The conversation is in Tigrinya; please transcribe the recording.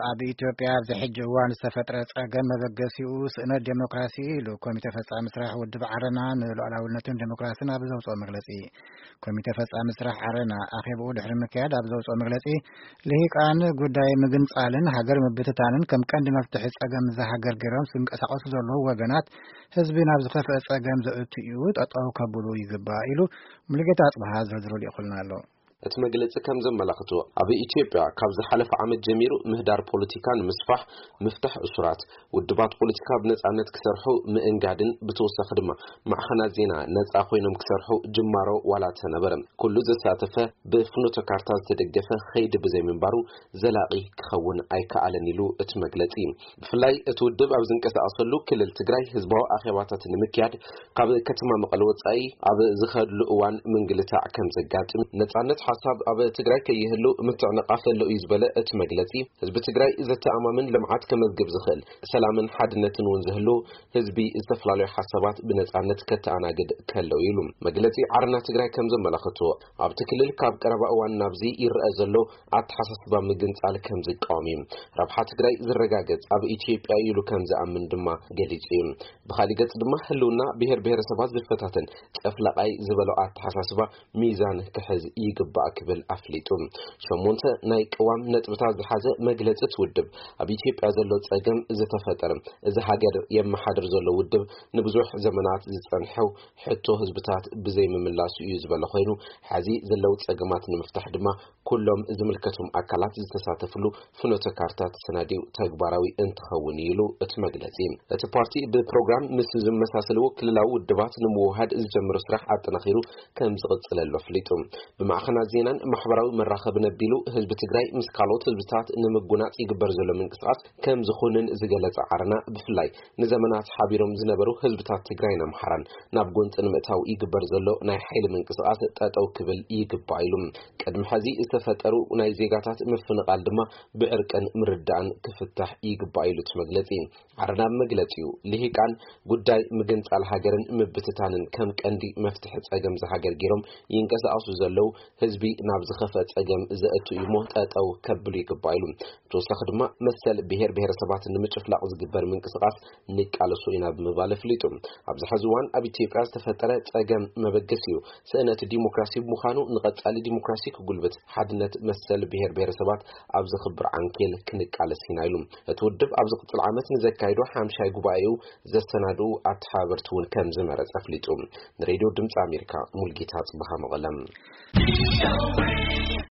ኣብ ኢትዮጵያ ኣብዚ ሕጂ እዋን ዝተፈጥረ ጸገም መበገሲኡ ስእነት ዴሞክራሲ ኢሉ ኮሚተ ፈጻሚ ስራሕ ውድብ ዓረና ንሉዓላውነትን ዴሞክራሲን ኣብ ዘውፅኦ መግለጺ። ኮሚተ ፈጻሚ ስራሕ ዓረና ኣኼባኡ ድሕሪ ምክያድ ኣብ ዘውፅኦ መግለጺ፣ ልሂቃን ጉዳይ ምግንጻልን ሃገር ምብትታንን ከም ቀንዲ መፍትሒ ጸገም እዛ ሃገር ገይሮም ዝንቀሳቐሱ ዘለዉ ወገናት ህዝቢ ናብ ዝኸፍአ ጸገም ዘእቱ እዩ፣ ጠጠው ከብሉ ይግባእ ኢሉ። ሙሉጌታ ኣጽብሃ ዝርዝሩ ልኢኹልና ኣሎ። እቲ መግለጺ ከም ዘመላኽቶ፣ ኣብ ኢትዮጵያ ካብ ዝሓለፈ ዓመት ጀሚሩ ምህዳር ፖለቲካ ንምስፋሕ፣ ምፍታሕ እሱራት፣ ውድባት ፖለቲካ ብነጻነት ክሰርሑ ምእንጋድን ብተወሳኺ ድማ ማዕኸናት ዜና ነጻ ኮይኖም ክሰርሑ ጅማሮ ዋላ ተነበረ፣ ኩሉ ዘሳተፈ ብፍኖተ ካርታ ዝተደገፈ ኸይዲ ብዘይምንባሩ ዘላቒ ክኸውን ኣይከኣለን ኢሉ እቲ መግለጺ። ብፍላይ እቲ ውድብ ኣብ ዝንቀሳቐሰሉ ክልል ትግራይ ህዝባዊ ኣኼባታት ንምክያድ ካብ ከተማ መቐለ ወጻኢ ኣብ ዝኸድሉ እዋን ምንግልታዕ ከም ዘጋጥም፣ ነጻነት ሓሳብ ኣብ ትግራይ ከይህሉ ምትዕንቓፍ ኣሎ እዩ ዝበለ እቲ መግለጺ፣ ህዝቢ ትግራይ ዘተኣማምን ልምዓት ከመዝግብ ዝኽእል፣ ሰላምን ሓድነትን እውን ዝህሉ ህዝቢ ዝተፈላለዩ ሓሳባት ብነጻነት ከተኣናግድ ከለው ኢሉ። መግለጺ ዓረና ትግራይ ከም ዘመላኽቶ፣ ኣብቲ ክልል ካብ ቀረባ እዋን ናብዚ ይረአ ዘሎ ኣተሓሳስባ ምግንጻል ከም ዝቃወም እዩ። ረብሓ ትግራይ ዝረጋገጽ ኣብ ኢትዮጵያ ኢሉ ከም ዝኣምን ድማ ገሊጹ እዩ። ብኻሊእ ገጽ ድማ ህልውና ብሔር ብሔረሰባት ዝፈታተን ጨፍላቓይ ዝበሎ ኣተሓሳስባ ሚዛን ክሕዝ ይግባእ ክብል ኣፍሊጡ። ሸሞንተ ናይ ቅዋም ነጥብታት ዝሓዘ መግለጺ እቲ ውድብ፣ ኣብ ኢትዮጵያ ዘሎ ጸገም ዝተፈጠረ፣ እዚ ሃገር የመሓድር ዘሎ ውድብ ንብዙሕ ዘመናት ዝጸንሐው ሕቶ ህዝብታት ብዘይምምላሱ እዩ ዝበለ ኮይኑ፣ ሕዚ ዘለዉ ጸገማት ንምፍታሕ ድማ ኩሎም ዝምልከቶም ኣካላት ዝተሳተፍሉ ፍኖተ ካርታ ተሰናዲኡ ተግባራዊ እንትኸውን እዩ ኢሉ እቲ መግለጺ። እቲ ፓርቲ ብፕሮግራም ምስ ዝመሳሰልዎ ክልላዊ ውድባት ንምውሃድ ዝጀመሮ ስራሕ ኣጠናኺሩ ከም ዝቕጽለሉ ኣፍሊጡ። ብማዕኸናት ዜናን ማሕበራዊ መራኸብን ኣቢሉ ህዝቢ ትግራይ ምስ ካልኦት ህዝብታት ንምጉናጽ ይግበር ዘሎ ምንቅስቓስ ከም ዝኾንን ዝገለጸ ዓረና፣ ብፍላይ ንዘመናት ሓቢሮም ዝነበሩ ህዝብታት ትግራይን ኣምሓራን ናብ ጎንፂ ንምእታው ይግበር ዘሎ ናይ ሓይሊ ምንቅስቓስ ጠጠው ክብል ይግባእ ኢሉ። ቅድሚ ሕዚ ዝተፈጠሩ ናይ ዜጋታት ምፍንቓል ድማ ብዕርቅን ምርዳእን ክፍታሕ ይግባእ ኢሉ እቲ መግለፂ። ዓረና መግለፂኡ፣ ልሂቃን ጉዳይ ምግንፃል ሃገርን ምብትታንን ከም ቀንዲ መፍትሒ ፀገም ዝሃገር ገይሮም ይንቀሳቐሱ ዘለዉ ህዝቢ ናብ ዝኸፍአ ፀገም ዘእቱ እዩ እሞ ጠጠው ከብሉ ይግባእ ኢሉ። ብተወሳኺ ድማ መሰል ብሔር ብሔረሰባት ንምጭፍላቕ ዝግበር ምንቅስቓስ ንቃለሶ ኢና ብምባል ኣፍሊጡ። ኣብዚ ሕዚ እዋን ኣብ ኢትዮጵያ ዝተፈጠረ ፀገም መበገሲኡ ስእነት ዲሞክራሲ ብምዃኑ፣ ንቐጻሊ ዲሞክራሲ ክጉልብት ሓድነት መሰል ብሔር ብሔረሰባት ኣብ ዝኽብር ዓንኬል ክንቃለስ ኢና ኢሉ። እቲ ውድብ ኣብ ዝቕጽል ዓመት ንዘካይዶ ሓምሻይ ጉባኤኡ ዘሰናድኡ ኣተሓባበርቲ እውን ከም ዝመረጸ ኣፍሊጡ። ንሬድዮ ድምፂ ኣሜሪካ፣ ሙልጌታ ጽበሃ፣ መቐለም።